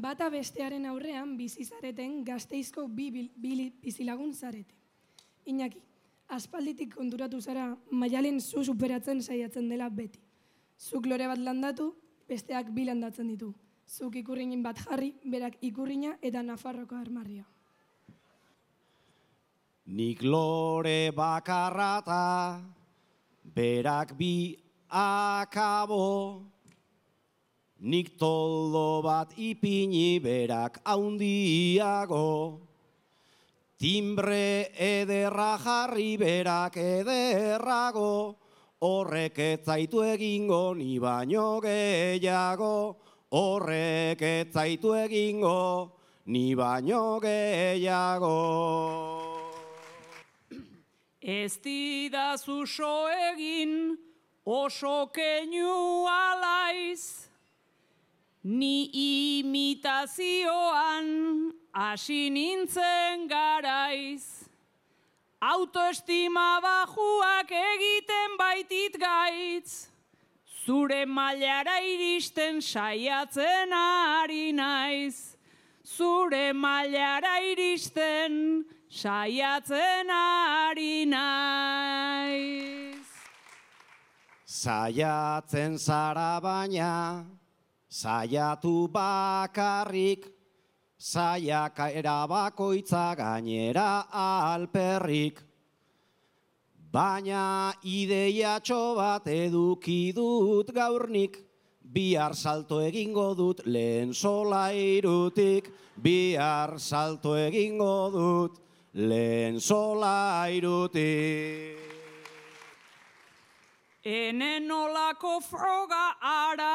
bata bestearen aurrean bizizareten Gasteizko bi bizilagun zarete. Iñaki, aspalditik konturatu zara Maialen zu superatzen saiatzen dela beti. Zuk lore bat landatu, besteak bi landatzen ditu. Zuk ikurrinin bat jarri, berak ikurrina eta Nafarroko armarria. Nik lore bakarrata, berak bi akabo. Nik toldo bat ipini, berak haundiago. Timbre ederra jarri, berak ederrago. Horrek ez zaitu egingo, ni baino gehiago. Horrek ez zaitu egingo, ni baino gehiago. Ez didazu so egin, oso keinu alaiz. Ni imitazioan hasi nintzen garaiz. Autoestima bajuak egiten baitit gaitz. Zure mailara iristen saiatzen ari naiz. Zure mailara iristen saiatzen ari naiz. Saiatzen zara baina, saiatu bakarrik, saiaka erabakoitza gainera alperrik. Baina ideiatxo bat eduki dut gaurnik, bihar salto egingo dut lehen solairutik. Bihar salto egingo dut lehen solairutik. Enen olako froga ara.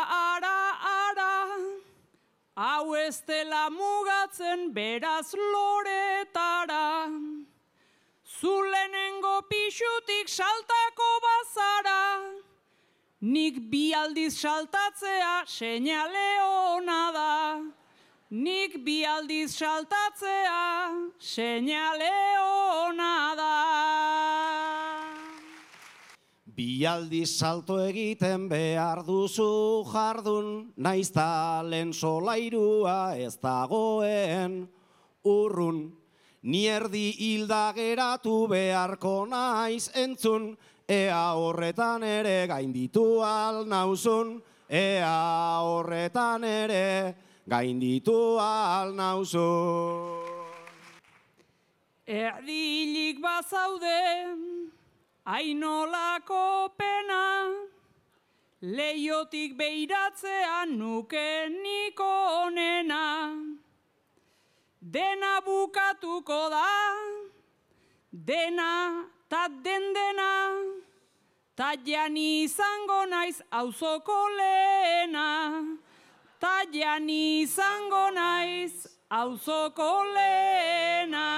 Hau ez dela mugatzen beraz loretara. Zulenengo pixutik saltako bazara. Nik bi aldiz saltatzea seinale ona da. Nik bi aldiz saltatzea seinale ona da. Bi aldiz salto egiten behar duzu jardun, naiz talen solairua ez dagoen urrun. Ni erdi hilda geratu beharko naiz entzun, ea horretan ere gainditu al nauzun, ea horretan ere gainditu al nauzun. Erdilik bazaude, ainolako pena, leiotik beiratzea nuke nik onena. Dena bukatuko da, dena ta dena, ta jani izango naiz auzoko lehena. Ta jani izango naiz auzoko lehena.